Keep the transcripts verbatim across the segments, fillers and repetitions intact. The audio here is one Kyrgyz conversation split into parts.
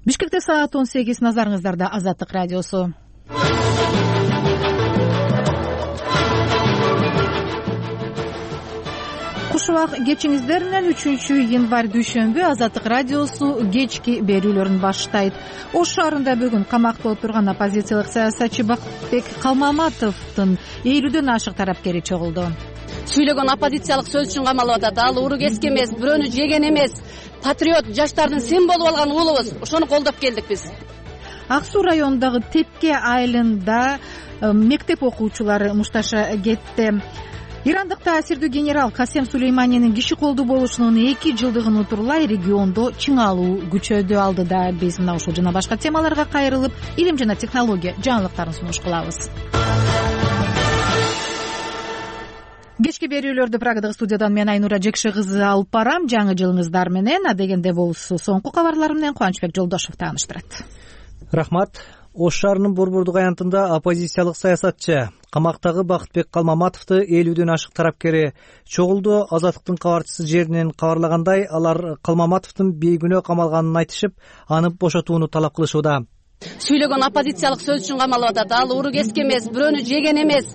Бишкекте саат он сегиз, назарыңыздарда Азаттык радиосу. Куш убак кечиңиздер менен үчүнчү январь дүйшөмбү Азаттык радиосу кечки берүүлөрүн баштайт. Ош шаарында бүгүн камакта отурган оппозициялык саясатчы Бакытбек Калмаматовдун элүүдөн ашык тарапкери чогулду. Сүйлөгөн оппозициялык сөз үчүн камалып атат. Ал урук эски эмес, бирөөнү жеген эмес, патриот, жаштардын сен болуп алган уулубуз. Ошону колдоп келдик биз. Ак Суу районундагы Тепке айылында мектеп окуучулары мушташа кетти. Ирандык таасирдүү генерал Касем Сулейманинин киши колдуу болушунун эки жылдыгын утурлай региондо чыңалуу күчөдү. Алдыда биз мына ушул жана башка темаларга кайрылып, илим жана технология жаңылыктарын сунуш кылабыз. Кечки берүүлөрдү Прагадагы студиядан мен Айнура Жекше кызы алып барам. Жаңы жылыңыздар менен. Адегенде болсо соңку кабарлар менен Кубанычбек Жолдошов тааныштырат. Рахмат. Ош шаарынын Борбордук аянтында оппозициялык саясатчы камактагы Бакытбек Калмаматовду элүүдөн ашык тарапкери чогулду. Азаттыктын кабарчысы жеринен кабарлагандай, алар Калмаматовдун бейгүнөө камалганын айтышып, аны бошотууну талап кылышууда. Сүйлөгөн оппозициялык сөз үчүн камалып атат. Ал урук эски эмес, бирөөнү жеген эмес,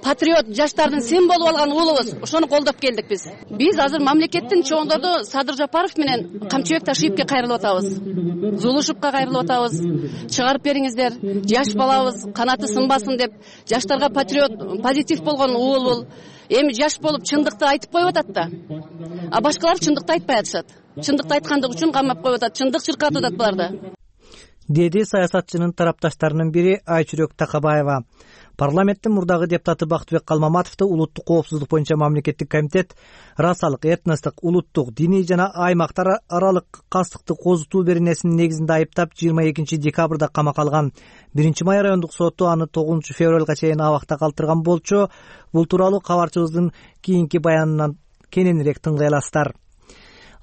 патриот, жаштардын сен болуп алган уулубуз. Ошону колдоп келдик биз. Биз азыр мамлекеттин чоңдорду Садыр Жапаров менен Камчыбек Ташиевке кайрылып атабыз. Зулушевка кайрылып атабыз. Чыгарып бериңиздер, жаш балабыз канаты сынбасын деп, жаштарга патриот, позитив болгон уул бул. Эми жаш болуп чындыкты айтып коюп атат да. А башкалар чындыкты айтпай атышат. Чындыкты айткандык үчүн камап коюп атат. Чындык чыркатып атат буларды. Деди саясатчынын тарапташтарынын бири Айчүрөк Такабаева. Парламенттин мурдагы депутаты Бакытбек Калмаматовду улуттук коопсуздук боюнча мамлекеттик комитет расалык, этностук, улуттук, диний жана аймактар аралык кастыкты козутуу беренесинин негизинде айыптап жыйырма экинчи декабрда камакка алган. биринчи май райондук соту аны тогузунчу февралга чейин абакта калтырган болчу. Бул тууралуу кабарчыбыздын кийинки баянынан кененирээк тыңдай аласыздар.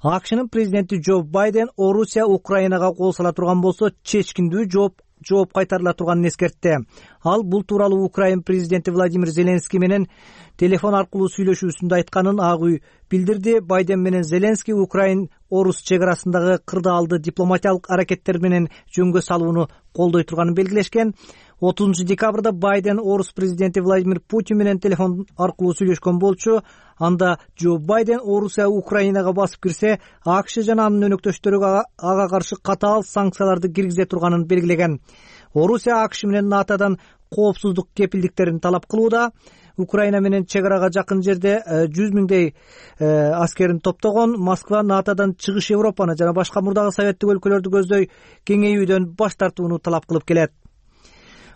АКШнын президенти Джо Байден Орусия Украинага кол сала турган болсо чечкиндүү жооп жооп кайтарыла турганын эскертти. Ал бул тууралуу Украин президенти Владимир Зеленский менен телефон аркылуу сүйлөшүүсүндө айтканын Ак үй билдирди. Байден менен Зеленский Украин Орус чек арасындагы кырдаалды дипломатиялык аракеттер менен жөнгө салууну колдой турганын белгилешкен. отузунчу декабрда Байден Орус президенти Владимир Путин менен телефон аркылуу сүйлөшкөн болчу. Анда Джо Байден Орусия Украинага басып кирсе, АКШ жана анын өнөктөштөрү ага каршы катаал санкцияларды киргизе турганын белгилеген. Орусия АКШ менен НАТОдан коопсуздук кепилдиктерин талап кылууда. Украина менен чек арага жакын жерде жүз миңдей аскерин топтогон. Москва НАТОдан чыгыш Европаны жана башка мурдагы советтик өлкөлөрдү көздөй кеңейүүдөн баш тартууну талап кылып келет.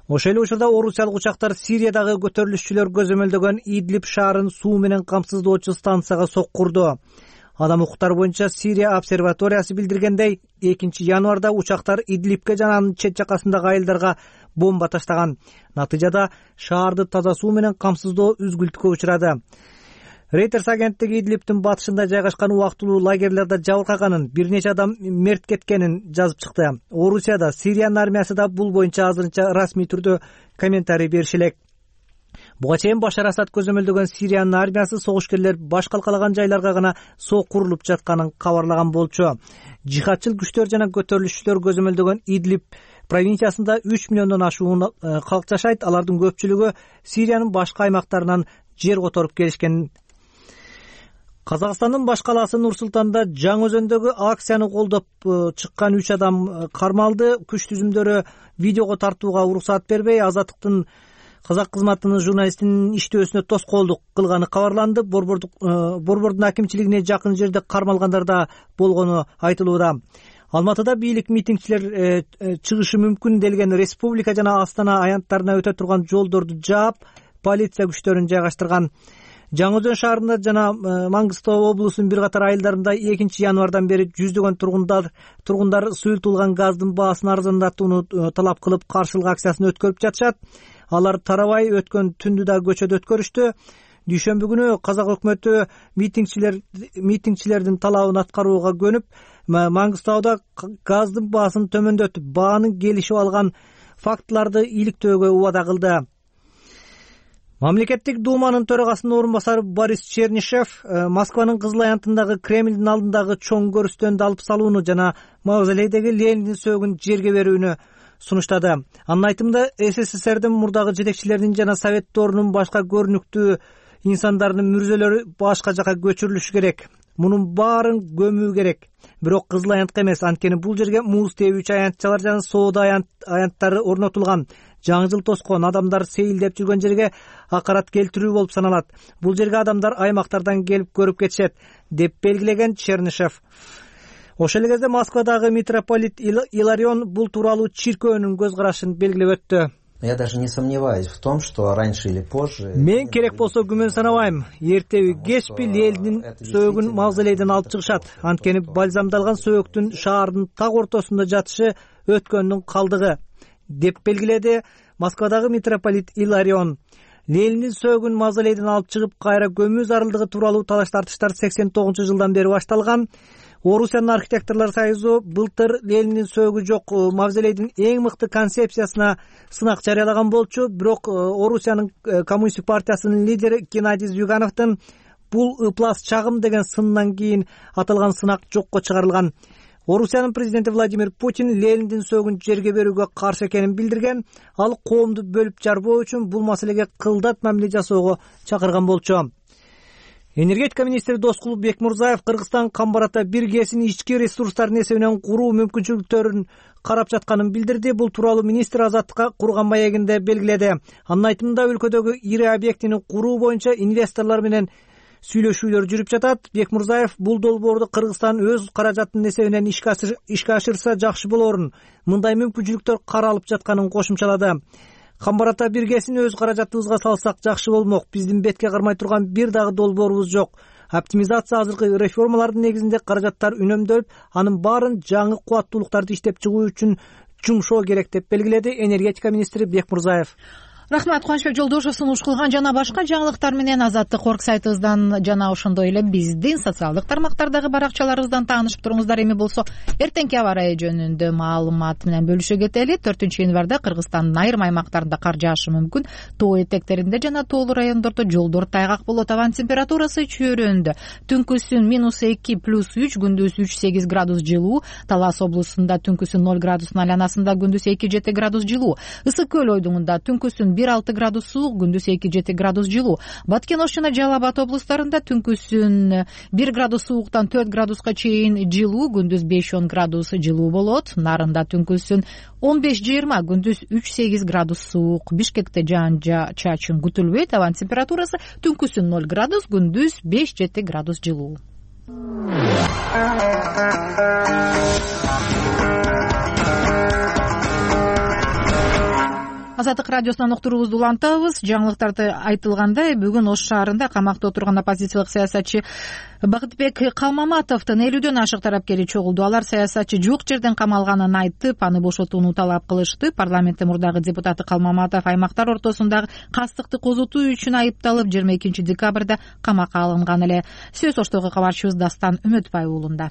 Ошол эле учурда орусиялык учактар Сириядагы көтөрүлүшчүлөр көзөмөлдөгөн Идлиб шаарын суу менен камсыздоочу станцияга соккурду. Адам укуктары боюнча Сирия обсерваториясы билдиргендей, экинчи январда учактар Идлибке жана анын чет жакасындагы айылдарга бомба таштаган. Натыйжада шаарды таза суу менен камсыздоо үзгүлтүккө учурады. Reuters агенттиги Идлибтин батышында жайгашкан убактылуу лагерлерде жабыркаганын, бир нече адам мерт кеткенин жазып чыкты. Орусияда, Сириянын армиясы да бул боюнча азырынча расмий түрдө комментарий бериши элек. Буга чейин Башар Асад көзөмөлдөгөн Сириянын армиясы согушкерлер баш калкалаган жайларга гана соккурулуп жатканын кабарлаган болчу. Жихадчыл күчтөр жана көтөрүлүшчүлөр көзөмөлдөгөн Идлиб провинциясында үч миллиондон ашуун калк жашайт. Алардын көпчүлүгү Сириянын башка аймактарынан жер которуп келишкен. Казакстандын баш калаасы Нур-Султанда Жаңы Өзөндөгү акцияны колдоп чыккан үч адам кармалды. Күч түзүмдөрү видеого тартууга уруксаат бербей, Азаттыктын казак кызматынын журналистинин иштөөсүнө тоскоолдук кылганы кабарланды. Борбордун акимчилигине жакын жерде кармалгандар да болгону айтылууда. Алматыда бийлик митингчилер чыгышы мүмкүн делген республика жана Астана аянттарына өтө турган жолдорду жаап, полиция күчтөрүн жайгаштырган. Жаңы Өзөн шаарында жана Маңгыстау облусунун бир катар айылдарында экинчи январдан бери жүздөгөн тургундар тургундар суюлтулган газдын баасын арзандатууну талап кылып каршылык акциясын өткөрүп жатышат. Алар тарабай өткөн түндү да көчөдө өткөрүштү. Дүйшөмбү күнү казак өкмөтү митингчилер митингчилердин талабын аткарууга көнүп, Маңгыстауда газдын баасын төмөндөтүп, баанын келишип алган фактыларды иликтөөгө убада кылды. Мамлекеттик думанын төрагасынын орун басары Борис Чернышев Москванын Кызыл аянтындагы Кремлдин алдындагы чоң көрүстөндү алып салууну жана мавзолейдеги Лениндин сөөгүн жерге берүүнү сунуштады. Анын айтымында СССРдин мурдагы жетекчилеринин жана Советторунун башка көрүнүктүү инсандарынын мүрзөлөрү башка жака көчүрүлүшү керек. Мунун баарын көмүү керек. Бирок Кызыл аянтка эмес, анткени бул жерге муз тебүүчү аянтчалар жана соода аянттары орнотулган. Жаңы жыл тоскон, адамдар сейилдеп жүргөн жерге акарат келтирүү болуп саналат. Бул жерге адамдар аймактардан келип көрүп кетишет, деп белгилеген Чернышев. Ошол эле кезде Москвадагы митрополит Иларион бул тууралуу чиркөөнүн көз карашын белгилеп өттү. Я даже не сомневаюсь в том, что раньше или позже... Мен керек болсо күмөн санабайм. Эртеби кечпи Лениндин сөөгүн мавзолейден алып чыгышат. Анткени бальзамдалган сөөгүн шаардын так ортосунда жатышы өткөндүн калдыгы, деп белгиледи Москвадагы митрополит Иларион. Лениндин сөөгүн мавзолейден алып чыгып кайра көмүү зарылдыгы тууралуу талаш тартыштар сексен тогузунчу жылдан бери башталган. Орусиянын архитекторлор союзу былтыр Лениндин сөөгү жок мавзолейдин эң мыкты концепциясына сынак жарыялаган болчу, бирок Орусиянын коммунисттик партиясынын лидери Геннадий Зюгановдун бул ыплас чагым деген сынынан кийин аталган сынак жокко чыгарылган. Орусиянын президенти Владимир Путин Лениндин сөөгүн жерге берүүгө каршы экенин билдирген. Ал коомду бөлүп жарбоо үчүн бул маселеге кылдат мамиле жасоого чакырган болчу. Энергетика министри Доскул Бекмурзаев Кыргызстан Камбарата бир гэсин ички ресурстардын эсебинен куруу мүмкүнчүлүктөрүн карап жатканын билдирди. Бул тууралуу министр Азаттыкка курган маегинде белгиледи. Анын айтымында өлкөдөгү ири объектини куруу боюнча инвесторлор менен сүйлөшүүлөр жүрүп жатат. Бекмурзаев бул долбоорду Кыргызстан өз каражатынын эсебинен ишке ашырса жакшы болорун, мындай мүмкүнчүлүктөр каралып жатканын кошумчалады. Камбарата бир гэсин өз каражатыбызга салсак жакшы болмок. Биздин бетке кармай турган бир дагы долбоорубуз жок. Оптимизация азыркы реформалардын негизинде каражаттар үнөмдөлүп, анын баарын жаңы кубаттуулуктарды иштеп чыгуу үчүн жумшоо керек, деп белгиледи энергетика министри Бекмурзаев. Рахмат, Кубанычбек Жолдошев сунуш кылган жана башка жаңылыктар менен Азаттык орг сайтыбыздан жана ошондой эле биздин социалдык тармактардагы баракчаларыбыздан таанышып туруңуздар. Эми болсо эртеңки аба ырайы жөнүндө маалымат менен бөлүшө кетели. төртүнчү январда Кыргызстандын айрым аймактарында кар жаашы мүмкүн. Тоо этектеринде жана тоолуу райондордо жолдор тайгак болот. Абанын температурасы чөйрөндө. Түнкүсүн минус эки плюс үч, күндүз үч сегиз градус жылуу. Талас облусунда түнкүсүн ноль градустун айланасында, күндүз эки жети градус жылуу. Ысык көл ойдуңунда түнкүсүн бир алты градус суук, күндүз эки жети градус жылуу. Баткен Ош жана Жалал Абад облустарында түнкүсүн бир градус сууктан төрт градуска чейин жылуу, күндүз беш он градус жылуу болот. Нарында түнкүсүн он беш жыйырма, күндүз үч сегиз градус суук. Бишкекте жаан-чачын күтүлбөйт. Абанын температурасы түнкүсүн ноль градус, күндүз беш жети градус жылуу. Азаттык радиосунан уктуруубузду улантабыз. Жаңылыктарды айтылгандай, бүгүн Ош шаарында камакта отурган оппозициялык саясатчы Бакытбек Калмаматовдун элүүдөн ашык тарапкери чогулду. Алар саясатчы жок жерден камалганын айтып, аны бошотууну талап кылышты. Парламенттин мурдагы депутаты Калмаматов аймактар ортосундагы кастыкты козутуу үчүн айыпталып, жыйырма экинчи декабрда камакка алынган эле. Сөз Оштогу кабарчыбыз Дастан Үмөтбай уулунда.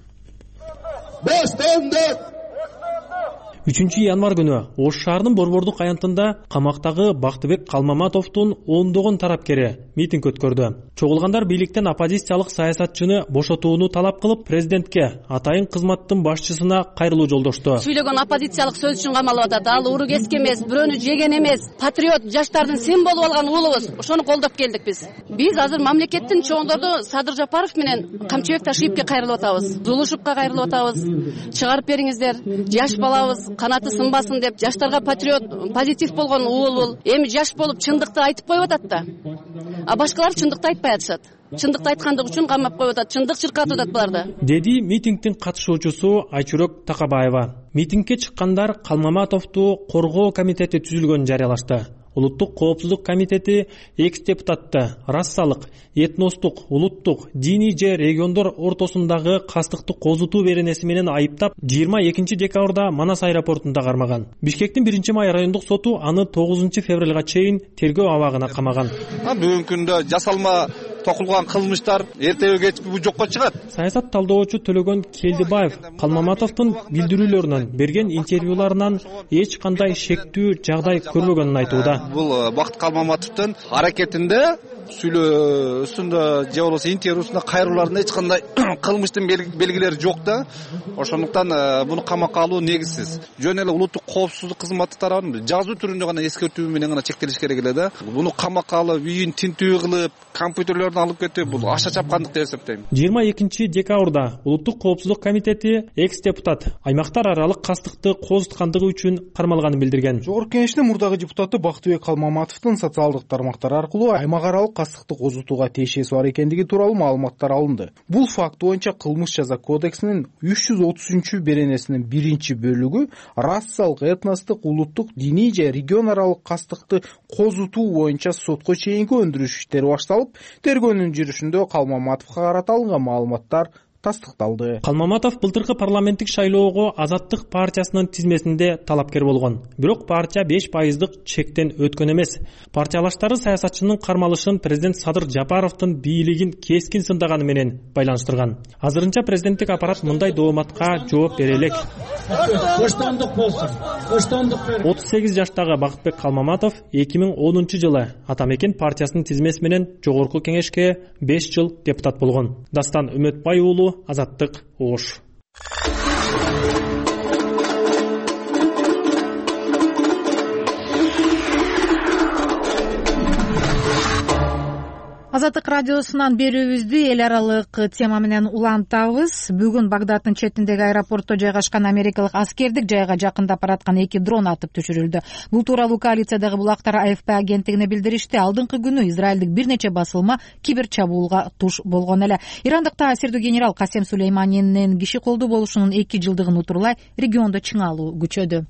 үчүнчү январ күнү Ош шаарынын Борбордук аянтында камактагы Бактыбек Калмаматовдун ондогон тарапкери митинг өткөрдү. Чогулгандар бийликтен оппозициялык саясатчыны бошотууну талап кылып, президентке, атайын кызматтын башчысына кайрылуу жолдошту. Сүйлөгөн оппозициялык сөз үчүн камалып атат. Ал уру кеске эмес, бирөөнү жеген эмес, патриот жаштардын сен болуп алган уулубуз. Ошону колдоп келдик биз. Биз азыр мамлекеттин чоңдорду Садыр Жапаров менен Камчыбек Ташиевке кайрылып атабыз. Зулушевка кайрылып атабыз. Чыгарып бериңиздер, жаш балабыз канаты сынбасын деп, жаштарга патриот, позитив болгон уул. Эми жаш болуп чындыкты айтып коюп атат да. А башкалар чындыкты айтпай атышат. Чындыкты айткандык үчүн камап коюп атат. Чындык чыркатып атат буларды. Деди митингдин катышуучусу Айчүрөк Такабаева. Митингге чыккандар Калмаматовду коргоо комитети түзүлгөнүн жарыялашты. Улуттук коопсуздук комитети экс депутатты расалык, этностук, улуттук, диний же региондор ортосундагы кастыкты козутуу беренеси менен айыптап, жыйырма экинчи декабрда Манас аэропортунда кармаган. Бишкектин биринчи май райондук соту аны тогузунчу февралга чейин тергөө абагына камаган. Бүгүнкү күндө жасалма токулган кылмыштар эртеби кечпи жокко чыгат. Саясат талдоочу Төлөгөн Келдибаев Калмаматовдун билдирүүлөрүнөн берген интервьюларынан эч кандай шектүү жагдай көрбөгөнүн айтууда. Бул Бакыт Калмаматовдун аракетинде, сүйлөөсүндө же болбосо интервьюсунда кайрылууларында эч кандай кылмыштын белгилери жок да. Ошондуктан муну камакка алуу негизсиз. Жөн эле улуттук коопсуздук кызматы тарабынан жазуу түрүндө гана эскертүү менен гана чектелиш керек эле да. Муну камакка алып, үйүн тинтүү кылып, компьютерлерин алып кетип, бул аша чапкандык деп эсептейм. жыйырма экинчи декабрда Улуттук коопсуздук комитети экс депутат аймактар аралык кастыкты козуткандыгы үчүн кармалганын билдирген. Жогорку Кеңештин мурдагы депутаты Бактыбек Калмаматовдун социалдык тармактар аркылуу аймак аралык кастыкты козутууга тиешеси бар экендиги тууралуу маалыматтар алынды. Бул факт боюнча Кылмыш жаза кодексинин үч жүз отузунчу беренесинин биринчи бөлүгү расалык, этностук, улуттук, диний же регион аралык кастыкты козутуу боюнча сотко чейинки өндүрүш иштери башталып, тергөөнүн жүрүшүндө Калмаматовго карата алынган маалыматтар тастыкталды. Калмаматов былтыркы парламенттик шайлоого Азаттык партиясынын тизмесинде талапкер болгон. Бирок партия беш пайыздык чектен өткөн эмес. Партиялаштары саясатчынын кармалышын президент Садыр Жапаровдун бийлигин кескин сындаганы менен байланыштырган. Азырынча президенттик аппарат мындай дооматка жооп бере элек. отуз сегиз жаштагы Бакытбек Калмаматов эки миң онунчу жылы Атамекен партиясынын тизмеси менен Жогорку Кеңешке беш жыл депутат болгон. Дастан Үмөтбай уулу, Азаттык, Ош. Азаттык радиосунан берүүбүздү эл аралык тема менен улантабыз. Бүгүн Багдаддын четиндеги аэропортто жайгашкан америкалык аскердик жайга жакындап бараткан эки дрон атып түшүрүлдү. Бул тууралуу коалициядагы булактар А Ф П агенттигине билдиришти. Алдыңкы күнү израилдик бир нече басылма кибер чабуулга туш болгон эле. Ирандыкта сирдүү генерал Касем Сулейманинин киши колдуу болушунун эки жылдыгын утурлай региондо чыңалуу күчөдү.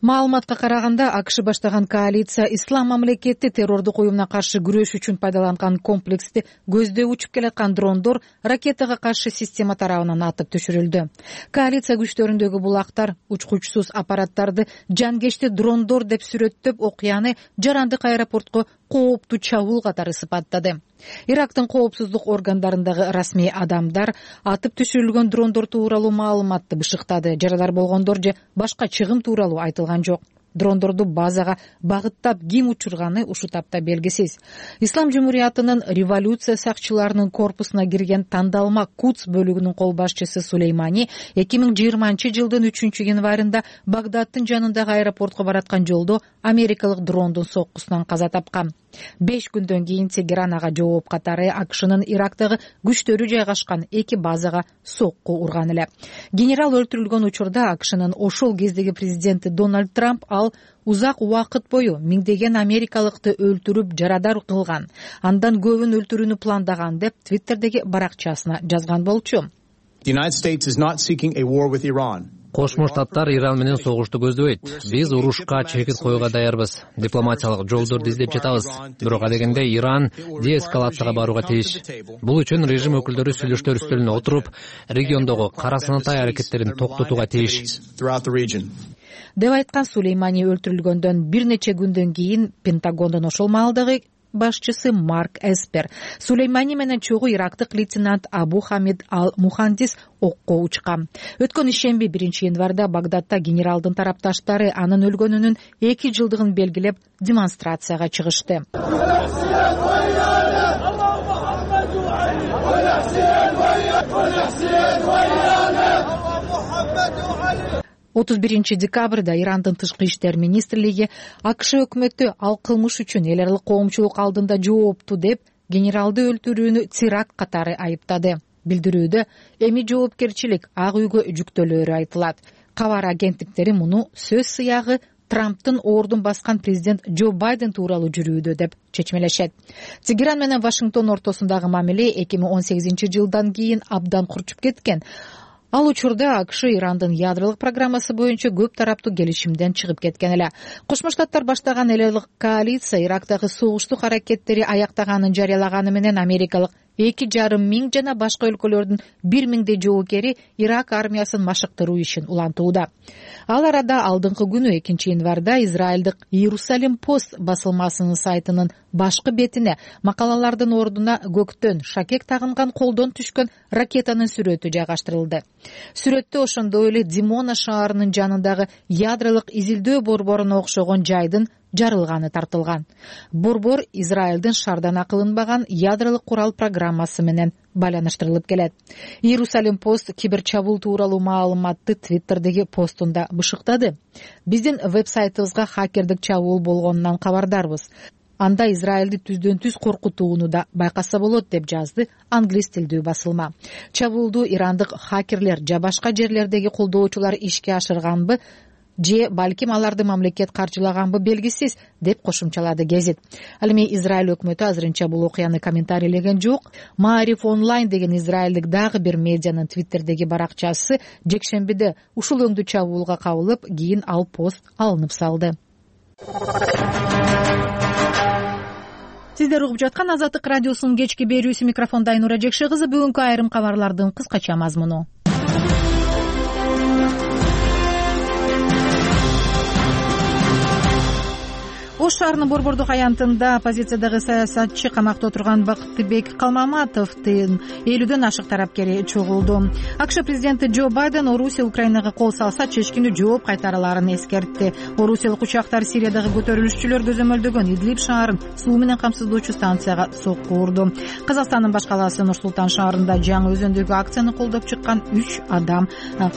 Маалыматка караганда, А К Ш баштаган коалиция ислам мамлекети террордук уюмуна каршы күрөш үчүн пайдаланган комплексти көздөй учуп келаткан дрондор ракетага каршы система тарабынан атып түшүрүлдү. Коалиция күчтөрүндөгү булактар учкучсуз аппараттарды жангечти дрондор деп сүрөттөп, окуяны Жарандык аэропортко кооптуу чабуул катары сыпаттады. Ирактын коопсуздук органдарындагы расмий адамдар атып түшүрүлгөн дрондор тууралуу маалыматты бышыктады. Жарадар болгондор же башка чыгым тууралуу айтылган жок. Дрондорду базага багыттап ким учурганы ушул тапта белгисиз. Ислам Жумуриятынын революция сакчыларынын корпусуна кирген тандалма Кудс бөлүгүнүн кол башчысы Сулеймани эки миң жыйырманчы жылдын үчүнчү январында Багдаддын жанындагы аэропортко бараткан жолдо америкалык дрондун соккусунан каза тапкан. Беш күндөн кийин Тегеран ага жооп катары А К Шнын Ирактагы күчтөрү жайгашкан эки базага сокку урган эле. Генерал өлтүрүлгөн учурда А К Шнын ошол кездеги президенти Дональд Трамп ал узак убакыт бою миңдеген америкалыкты өлтүрүп жарадар кылган, андан көбүн өлтүрүүнү пландаган деп Твиттердеги баракчасына жазган болчу. Кошмо Штаттар Иран менен согушту көздөбөйт. Биз урушка чекит коюуга даярбыз. Дипломатиялык жолдорду издеп жатабыз. Бирок адегенде Иран деэскалацияга барууга тийиш. Бул үчүн режим өкүлдөрү сүйлөштөр үстөлүнө отуруп, региондогу кара сынаттай аракеттерин токтотууга тийиш. Деп айткан Сулеймани өлтүрүлгөндөн бир нече күндөн кийин Пентагондун ошол маалдагы башчысы Марк Эспер Сулеймани менен чогуу ирактык лейтенант Абу Хамид Ал-Мухандис окко учкан. Өткөн ишемби биринчи январда Багдадда генералдын тарапташтары анын өлгөнүнүн эки жылдыгын белгилеп демонстрацияга чыгышты. отуз биринчи декабрда Ирандын тышкы иштер министрлиги А К Ш өкмөтү ал кылмыш үчүн эл аралык коомчулук алдында жоопту деп генералды өлтүрүүнү теракт катары айыптады. Билдирүүдө эми жоопкерчилик Ак үйгө жүктөлөөрү айтылат. Кабар агенттиктери муну сөз сыягы Трамптын ордун баскан президент Джо Байден тууралуу жүрүүдө деп чечмелешет. Тегеран менен Вашингтон ортосундагы мамиле эки миң он сегизинчи жылдан кийин абдан курчуп кеткен. Ал учурда А К Ш Ирандын ядролук программасы боюнча көп тараптуу келишимден чыгып кеткен эле. Кошмо Штаттар баштаган эл аралык коалиция Ирактагы согуштук аракеттери аяктаганын жарыялаганы менен америкалык эки жарым миң жана башка өлкөлөрдүн бир миңдей жоокери Ирак армиясын машыктыруу ишин улантууда. Ал арада алдыңкы күнү экинчи январда Израилдик Иерусалим Пост басылмасынын сайтынын башкы бетине макалалардын ордуна көктөн шакек тагынган колдон түшкөн ракетанын сүрөтү жайгаштырылды. Сүрөттө ошондой эле Димона шаарынын жанындагы ядролук изилдөө борборуна окшогон жайдын жарылганы тартылган. Борбор Израилдин шаардан кылынбаган ядролук курал программасы менен байланыштырылып келет. Иерусалим Пост киберчабуул тууралуу маалыматты Твиттердеги постунда бышыктады. Биздин веб-сайтыбызга хакердик чабуул болгонунан кабардарбыз. Анда Израилди түздөн түз коркутууну да байкаса болот, деп жазды англис тилдүү басылма. Чабуулду ирандык хакерлер же башка жерлердеги колдоочулар ишке ашырганбы, же балким аларды мамлекет каржылаганбы белгисиз, деп кошумчалады гезит. Ал эми Израиль өкмөтү азырынча бул окуяны комментарийлеген жок. Маариф онлайн деген израилдик дагы бир медианын твиттердеги баракчасы жекшембиде ушул өңдүү чабуулга кабылып, кийин ал пост алынып салды. Сиздер угуп жаткан Азаттык радиосунун кечки берүүсү, микрофонда Айнура Жекше кызы. Бүгүнкү айрым кабарлардын кыскача мазмуну. Ош шаарынын борбордук аянтында оппозициядагы саясатчы камакта отурган Бактыбек Калмаматовдун элүүдөн ашык тарапкери чогулду. АКШ президенти Джо Байден Орусия Украинага кол салса чечкиндүү жооп кайтараларын эскертти. Орусиялык учактар Сириядагы көтөрүлүшчүлөр көзөмөлдөгөн Идлиб шаарын суу менен камсыздоочу станцияга сокку урду. Казакстандын баш калаасы Нур Султан шаарында жаңы өзөндөгү акцияны колдоп чыккан үч адам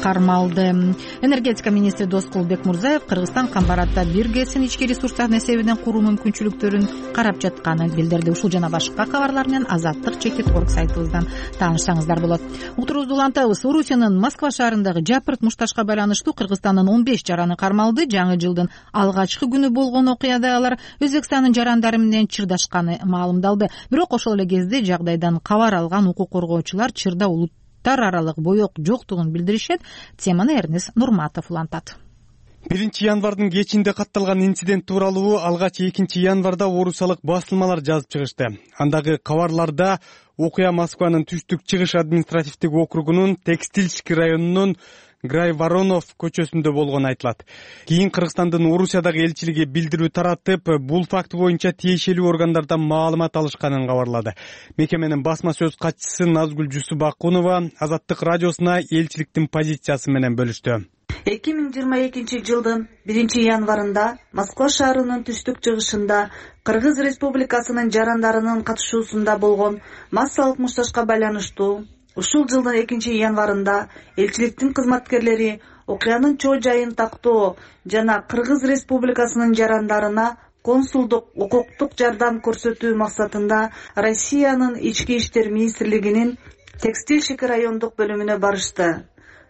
кармалды. Энергетика министри Доскулбек Мурзаев Кыргызстан Камбаратта бир гэсин ички ресурстардын эсебинен куруу мүмкүнчүлүктөрүн карап жатканын билдирди. Ушул жана башка кабарлар менен Азаттык чекит орг сайтыбыздан таанышсаңыздар болот. Утурубузду улантабыз. Орусиянын Москва шаарындагы жапырт мушташка байланыштуу Кыргызстандын он беш жараны кармалды. Жаңы жылдын алгачкы күнү болгон окуяда алар Өзбекстандын жарандары менен чырдашканы маалымдалды. Бирок ошол эле кезде жагдайдан кабар алган укук коргоочулар чырда улуттар аралык боек жоктугун билдиришет. Теманы Эрнес Нурматов улантат. биринчи январдын кечинде катталган инцидент тууралуу алгач экинчи январда орусиялык басылмалар жазып чыгышты. Андагы кабарларда окуя Москванын түштүк чыгыш административдик округунун Текстильский районунун Грайворонов көчөсүндө болгону айтылат. Кийин Кыргызстандын Орусиядагы элчилиги билдирүү таратып, бул факт боюнча тиешелүү органдардан маалымат алышканын кабарлады. Мекеменин басма сөз катчысы Назгүл Жусупакунова Азаттык радиосуна элчиликтин позициясы менен бөлүштү. эки миң жыйырма экинчи жылдын биринчи январында Москва шаарынын түштүк чыгышында Кыргыз Республикасынын жарандарынын катышуусунда болгон массалык мушташка байланыштуу ушул жылдын экинчи январында элчиликтин кызматкерлери окуянын чоо жайын тактоо жана Кыргыз Республикасынын жарандарына консулдук укуктук жардам көрсөтүү максатында Россиянын ички иштер министрлигинин Текстильщик райондук бөлүмүнө барышты.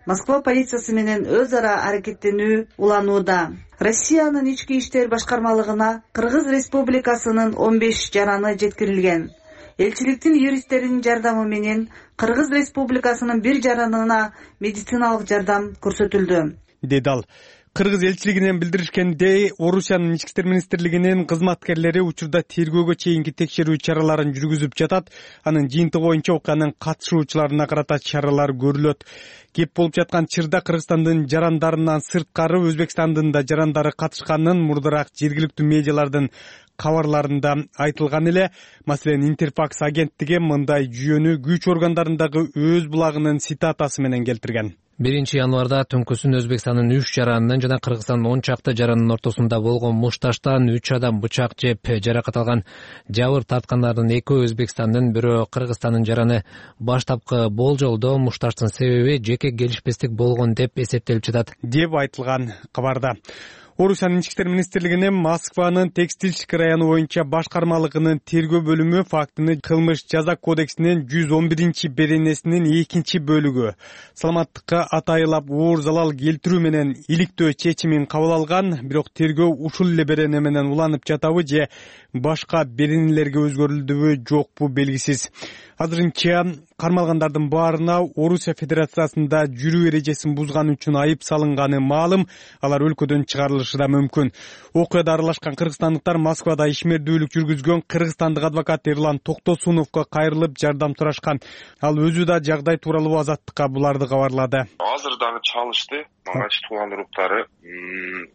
Москва полициясы менен өз ара аракеттенүү уланууда. Россиянын ички иштер башкармалыгына Кыргыз Республикасынын он беш жараны жеткирилген. Элчиликтин юристтеринин жардамы менен Кыргыз Республикасынын бир жаранына медициналык жардам көрсөтүлдү, деди ал. Кыргыз элчилигинен билдиришкендей, Орусиянын ички иштер министрлигинин кызматкерлери учурда тергөөгө чейинки текшерүү чараларын жүргүзүп жатат. Анын жыйынтыгы боюнча окуянын катышуучуларына карата чаралар көрүлөт. Кеп болуп жаткан чырда Кыргызстандын жарандарынан сырткары Өзбекстандын да жарандары катышканын мурдараак жергиликтүү медиалардын кабарларында айтылган эле. Маселен, Интерфакс агенттиги мындай жүйөнү күч органдарындагы өз булагынын цитатасы менен келтирген. биринчи январда түнкүсүн Өзбекстандын үч жаранынын жана Кыргызстандын он чакты жаранынын ортосунда болгон мушташтан үч адам бычак жеп жаракат алган. Жабыр тарткандардын экөө Өзбекстандын, бирөө Кыргызстандын жараны. Баштапкы болжолдо мушташтын себеби жеке келишпестик болгон деп эсептелип жатат, деп айтылган кабарда. Орусиянын ички иштер министрлигинин Москванын Текстильщик району боюнча башкармалыгынын тергөө бөлүмү фактыны кылмыш жаза кодексинин жүз он биринчи беренесинин экинчи бөлүгү саламаттыкка атайылап оор залал келтирүү менен иликтөө чечимин кабыл алган. Бирок тергөө ушул эле берене менен уланып жатабы же башка беренелерге өзгөрүлдүбү жокпу белгисиз. Азырынча кармалгандардын баарына Орусия Федерациясында жүрүү эрежесин бузган үчүн айып салынганы маалым. Алар өлкөдөн чыгарылышы да мүмкүн. Окуяда аралашкан кыргызстандыктар Москвада ишмердүүлүк жүргүзгөн кыргызстандык адвокат Эрлан Токтосуновго кайрылып жардам сурашкан. Ал өзү да жагдай тууралуу Азаттыкка буларды кабарлады. Азыр дагы чалышты. Мага тууган уруктары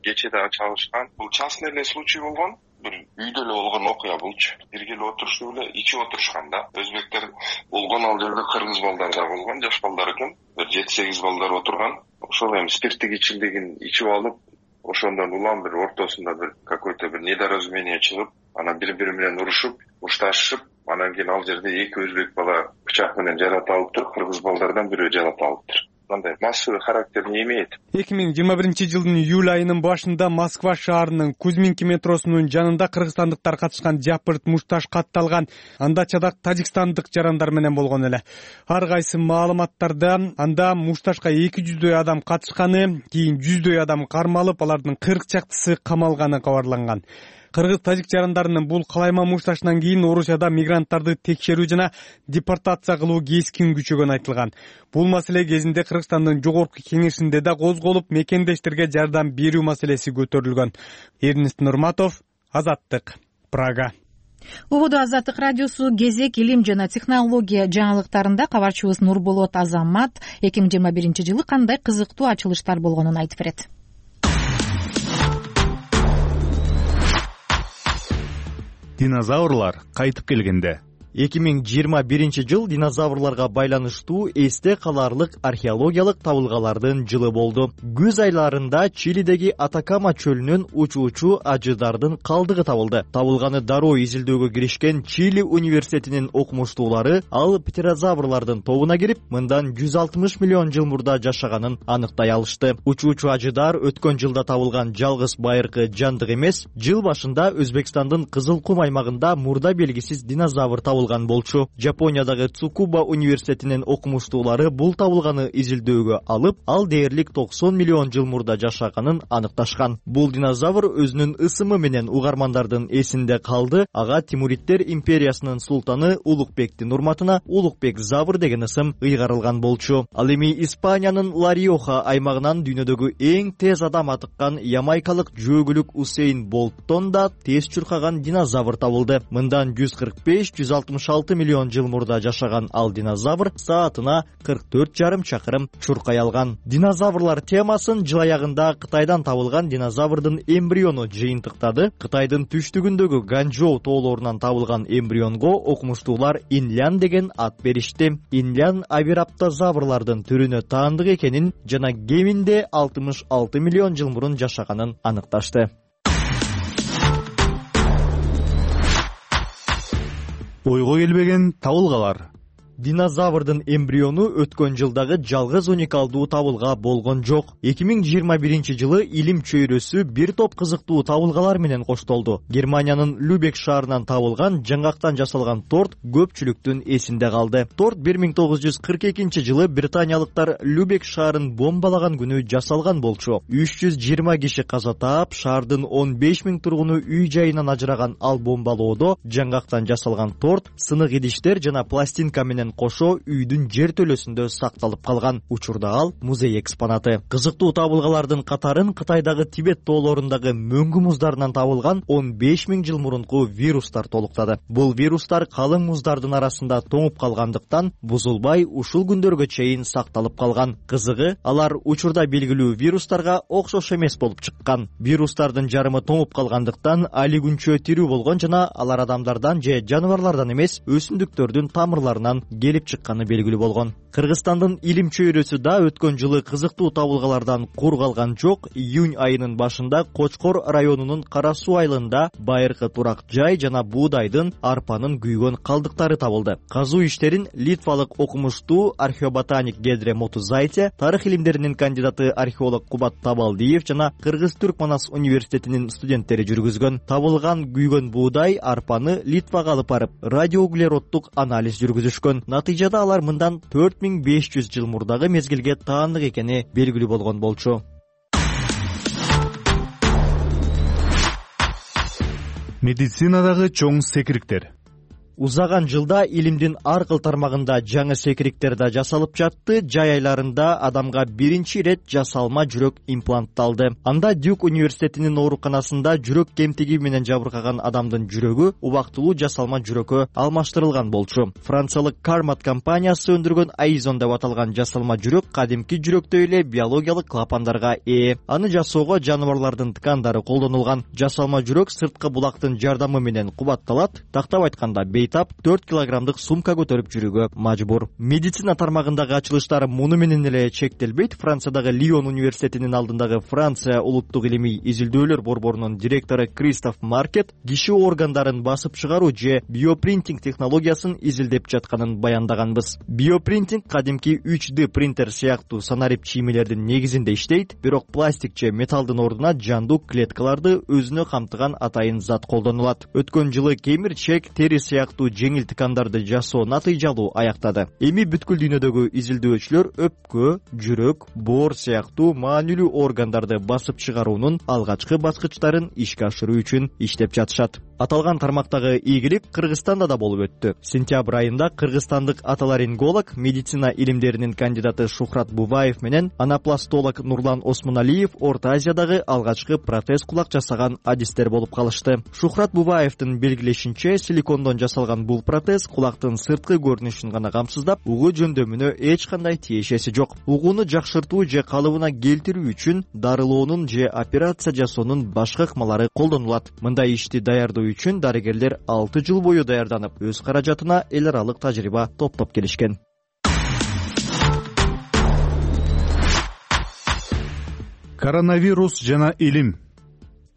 кече дагы чалышкан. Бул частный эле случай болгон. Бир үйдө эле болгон окуя булчу. Бирге эле отуруштуп эле ичип отурушкан да. Өзбектер болгон, ал жерде кыргыз балдар да болгон, жаш балдар экен. Бир жети сегиз балдар отурган. Ошол эми спирттик ичимдигин ичип алып, ошондон улам бир ортосунда бир какой-то бир недоразумение чыгып, анан бири-бири менен урушуп, ушташып, анан кийин ал жерде эки өзбек бала бычак менен жарата алыптыр, кыргыз балдардан бирөө жарата алыптыр. Мындай массовый характер не имеет. эки миң жыйырма биринчи жылдын июль айынын башында Москва шаарынын Кузьминки метросунун жанында кыргызстандыктар катышкан жапырт мушташ катталган. Анда чадак тажикстандык жарандар менен болгон эле. Ар кайсы маалыматтарда анда мушташка эки жүздөй адам катышканы, кийин жүздөй адам кармалып, алардын кырк чактысы камалганы кабарланган. Кыргыз-тажик жарандарынын бул калайма мушташынан кийин Орусияда мигранттарды текшерүү жана депортация кылуу кескин күчөгөнү айтылган. Бул маселе кезинде Кыргызстандын жогорку кеңешинде да козголуп, мекендештерге жардам берүү маселеси көтөрүлгөн. Эрнест Нурматов, Азаттык, Прага. Убуду Азаттык радиосу кезек илим жана технология жаңылыктарында кабарчыбыз Нурболот Азамат эки миң жыйырма биринчи жылы кандай кызыктуу ачылыштар болгонун айтып берет. Динозаврлар кайтып келгенде. эки миң жыйырма биринчи жыл динозаврларга байланыштуу эсте каларлык археологиялык табылгалардын жылы болду. Күз айларында Чилидеги Атакама чөлүнөн учуучу ажыдардын калдыгы табылды. Табылганы дароо изилдөөгө киришкен Чили университетинин окумуштуулары ал птерозаврлардын тобуна кирип, мындан жүз алтымыш миллион жыл мурда жашаганын аныктай алышты. Учуучу ажыдар өткөн жылда табылган жалгыз байыркы жандык эмес. Жыл башында Өзбекстандын Кызыл кум аймагында мурда белгисиз динозавр табылды. Болчу. Жапониядагы Цукуба университетинин окумуштуулары бул табылганы изилдөөгө алып, ал дээрлик токсон миллион жыл мурда жашаганын аныкташкан. Бул динозавр өзүнүн ысымы менен угармандардын эсинде калды. Ага Тимуриттер империясынын султаны Улукбектин урматына Улукбек завр деген ысым ыйгарылган болчу. Ал эми Испаниянын Ла-Риоха аймагынан дүйнөдөгү эң тез адам атыккан ямайкалык жөөгүлүк Усейн Болттон да тез чуркаган динозавр табылды. Мындан жүз кырк беш жүз алтымыш алты миллион жыл мурда жашаган ал динозавр саатына кырк төрт жарым чакырым чуркай алган. Динозаврлар темасын жыл аягында Кытайдан табылган динозаврдын эмбриону жыйынтыктады. Кытайдын түштүгүндөгү Ганчжоу тоолорунан табылган эмбрионго окумуштуулар инлян деген ат беришти. Инлян авираптозаврлардын түрүнө таандык экенин жана кеминде алтымыш алты миллион жыл мурун жашаганын аныкташты. Ойго келбеген табылгалар. Динозаврдын эмбриону өткөн жылдагы жалгыз уникалдуу табылга болгон жок. эки миң жыйырма биринчи жылы илим чөйрөсү бир топ кызыктуу табылгалар менен коштолду. Германиянын Любек шаарынан табылган жаңгактан жасалган торт көпчүлүктүн эсинде калды. Торт бир миң тогуз жүз кырк экинчи жылы британиялыктар Любек шаарын бомбалаган күнү жасалган болчу. үч жүз жыйырма киши каза таап, шаардын он беш миң тургуну үй жайынан ажыраган ал бомбалоодо жаңгактан жасалган торт, сынык идиштер жана пластинка менен кошо үйдүн жер төлөсүндө сакталып калган. Учурда ал музей экспонаты. Кызыктуу табылгалардын катарын Кытайдагы Тибет тоолорундагы мөңгү муздарынан табылган он беш миң жыл мурунку вирустар толуктады. Бул вирустар калың муздардын арасында тоңуп калгандыктан бузулбай ушул күндөргө чейин сакталып калган. Кызыгы, алар учурда белгилүү вирустарга окшош эмес болуп чыккан. Вирустардын жарымы тоңуп калгандыктан али күнчө тирүү болгон жана алар адамдардан же жаныбарлардан эмес, өсүмдүктөрдүн тамырларынан келип чыкканы белгилүү болгон. Кыргызстандын илим чөйрөсү да өткөн жылы кызыктуу табылгалардан кур калган жок. Июнь айынын башында Кочкор районунун Кара суу айылында байыркы турак жай жана буудайдын, арпанын күйгөн калдыктары табылды. Казуу иштерин литвалык окумуштуу археоботаник Гедре Мотузайте, тарых илимдеринин кандидаты археолог Кубат Табалдиев жана Кыргыз-Түрк-Манас университетинин студенттери жүргүзгөн. Табылган күйгөн буудай, арпаны Литвага алып барып радиоуглероддук анализ жүргүзүшкөн. Натыйжада алар мындан төрт миң беш жүз жыл мурдагы мезгилге таандык экени белгилүү болгон болчу. Медицинадагы чоң секириктер. Узаган жылда илимдин ар кыл тармагында жаңы секириктер да жасалып жатты. Жай айларында адамга биринчи ирет жасалма жүрөк имплантталды. Анда Дюк университетинин ооруканасында жүрөк кемтиги менен жабыркаган адамдын жүрөгү убактылуу жасалма жүрөккө алмаштырылган болчу. Франциялык Carmat компаниясы өндүргөн Aizon деп аталган жасалма жүрөк кадимки жүрөктөй эле биологиялык клапандарга ээ. Аны жасоого жаныбарлардын ткандары колдонулган. Жасалма жүрөк сырткы булактын жардамы менен кубатталат. Тактап айтканда бейтап төрт килограммдык сумка көтөрүп жүрүүгө мажбур. Медицина тармагындагы ачылыштар муну менен эле чектелбейт. Франциядагы Лион университетинин алдындагы Франция улуттук илимий изилдөөлөр борборунун директору Кристоф Маркет киши органдарын басып чыгаруу же биопринтинг технологиясын изилдеп жатканын баяндаганбыз. Биопринтинг кадимки үч дэ принтер сыяктуу санарип чиймелердин негизинде иштейт, бирок пластик же металлдын ордуна жандуу клеткаларды өзүнө камтыган атайын зат колдонулат. Өткөн жылы кемирчек, тери сыяктуу жеңил ткандарды жасоо натыйжалуу аяктады. Эми бүткүл дүйнөдөгү изилдөөчүлөр өпкө, жүрөк, боор сыяктуу маанилүү органдарды басып чыгаруунун алгачкы баскычтарын ишке ашыруу үчүн иштеп жатышат. Аталган тармактагы ийгилик Кыргызстанда да болуп өттү. Сентябрь айында кыргызстандык отоларинголог, медицина илимдеринин кандидаты Шухрат Бубаев менен анапластолог Нурлан Осмоналиев Орто Азиядагы алгачкы протез кулак жасаган адистер болуп калышты. Шухрат Бубаевдин белгилешинче, силикондон жасалган бул протез кулактын сырткы көрүнүшүн гана камсыздап, угуу жөндөмүнө эч кандай тиешеси жок. Угууну жакшыртуу же калыбына келтирүү үчүн дарылоонун же операция жасоонун башка ыкмалары колдонулат. Мындай ишти даярдоо үчүн дарыгерлер алты жыл бою даярданып, өз каражатына эл аралык тажрыйба топтоп келишкен. Коронавирус жана илим.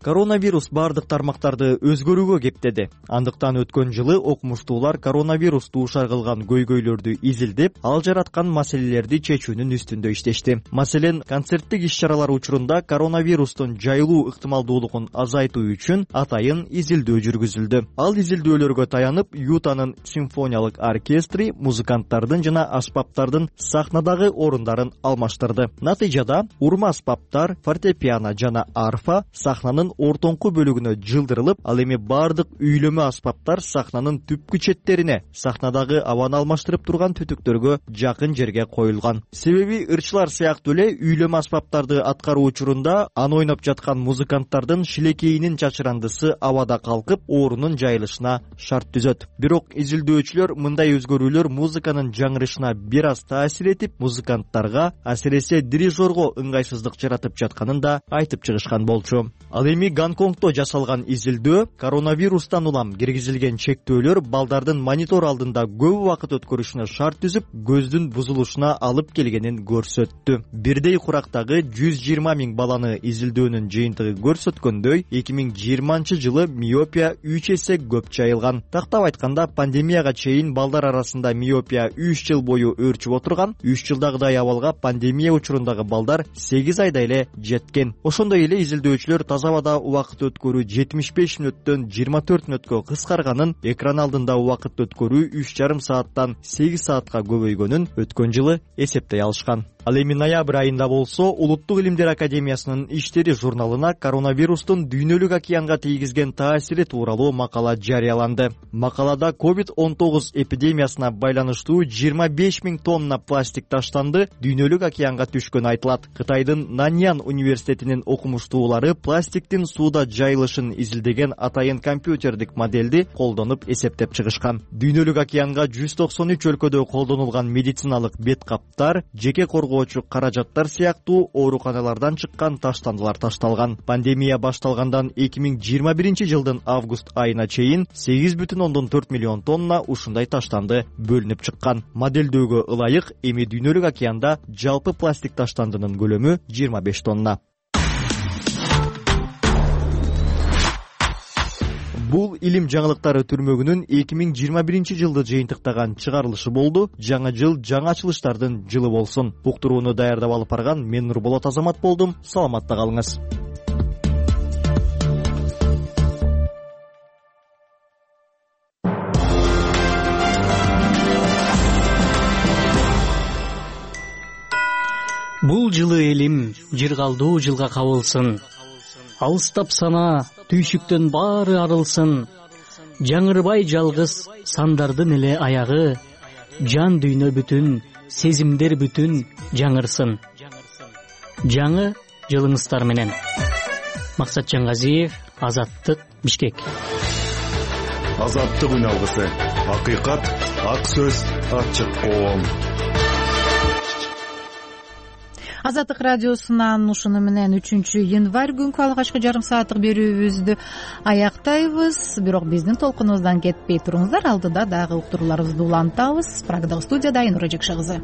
Коронавирус бардык тармактарды өзгөрүүгө кептеди. Андыктан өткөн жылы окумуштуулар коронавирусту ушар кылган көйгөйлөрдү изилдеп, ал жараткан маселелерди чечүүнүн үстүндө иштешти. Маселен, концерттик иш-чаралар учурунда коронавирустун жайылуу ыктымалдуулугун азайтуу үчүн атайын изилдөө жүргүзүлдү. Ал изилдөөлөргө таянып, Ютанын симфониялык оркестри музыканттардын жана аспаптардын сахнадагы орундарын алмаштырды. Натыйжада урма аспаптар, фортепиано жана арфа сахнанын ортоңку бөлүгүнө жылдырылып, ал эми бардык үйлөмө аспаптар сахнанын түпкү четтерине, сахнадагы абаны алмаштырып турган түтүктөргө жакын жерге коюлган. Себеби ырчылар сыяктуу эле үйлөмө аспаптарды аткаруу учурунда аны ойноп жаткан музыканттардын шилекейинин чачырандысы абада калкып, оорунун жайылышына шарт түзөт. Бирок изилдөөчүлөр мындай өзгөрүүлөр музыканын жаңырышына бир аз таасир этип, музыканттарга, асиресе дирижерго ыңгайсыздык жаратып жатканын да айтып чыгышкан болчу. Ал эми Гонконгдо жасалган изилдөө коронавирустан улам киргизилген чектөөлөр балдардын монитор алдында көп убакыт өткөрүшүнө шарт түзүп, көздүн бузулушуна алып келгенин көрсөттү. Бирдей курактагы жүз жыйырма миң баланы изилдөөнүн жыйынтыгы көрсөткөндөй, эки миң жыйырманчы жылы миопия үч эсе көп жайылган. Тактап айтканда, пандемияга чейин балдар арасында миопия үч жыл бою өрчүп отурган, үч жылдагыдай абалга пандемия учурундагы балдар сегиз айда эле жеткен. Ошондой эле изилдөөчүлөр таза абада убакыт өткөрүү жетимиш беш мүнөттөн жыйырма төрт мүнөткө кыскарганын, экран алдында убакыт өткөрүү үч жарым сааттан сегиз саатка көбөйгөнүн өткөн жылы эсептей алышкан. Ал эми ноябрь айында болсо, Улуттук илимдер академиясынын иштери журналына коронавирустун дүйнөлүк океанга тийгизген таасири тууралуу макала жарыяланды. Макалада ковид он тогуз эпидемиясына байланыштуу жыйырма беш миң тонна пластик таштанды дүйнөлүк океанга түшкөнү айтылат. Кытайдын Наньян университетинин окумуштуулары пластиктин сууда жайылышын изилдеген атайын компьютердик модельди колдонуп эсептеп чыгышкан. Дүйнөлүк океанга жүз токсон үч өлкөдө колдонулган медициналык бет каптар, жеке коргоочу каражаттар сыяктуу ооруканалардан чыккан таштандылар ташталган. Пандемия башталгандан эки миң жыйырма биринчи жылдын август айына чейин сегиз бүтүн ондон төрт миллион тонна ушундай таштанды бөлүнүп чыккан. Модельдөөгө ылайык, эми дүйнөлүк океанда жалпы пластик таштандынын көлөмү жыйырма беш тонна. Бул илим жаңылыктары түрмөгүнүн эки миң жыйырма биринчи жылды жыйынтыктаган чыгарылышы болду. Жаңы жыл жаңы ачылыштардын жылы болсун. Уктурууну даярдап алып барган мен Нурболот Азамат болдум. Саламатта калыңыз. Бул жылы элим жыргалдуу жылга кабылсын. Алыстап сана, түйшүктөн баары арылсын. жаңырбай жалгыз сандардын эле аягы, жан дүйнө бүтүн, сезимдер бүтүн жаңырсын. Жаңы жылыңыздар менен. Максат Жаңгазиев, Азаттык, Бишкек. Азаттык үн алгысы. Акыйкат, ак сөз, ачык коом. Азаттык радиосунан ушуну менен үчүнчү январь күнкү алгачкы жарым сааттык берүүбүздү аяктайбыз. Бирок биздин толкунубуздан кетпей туруңуздар, алдыда дагы уктурууларыбызды улантабыз. Прагдагы студияда Айнура Жекше кызы.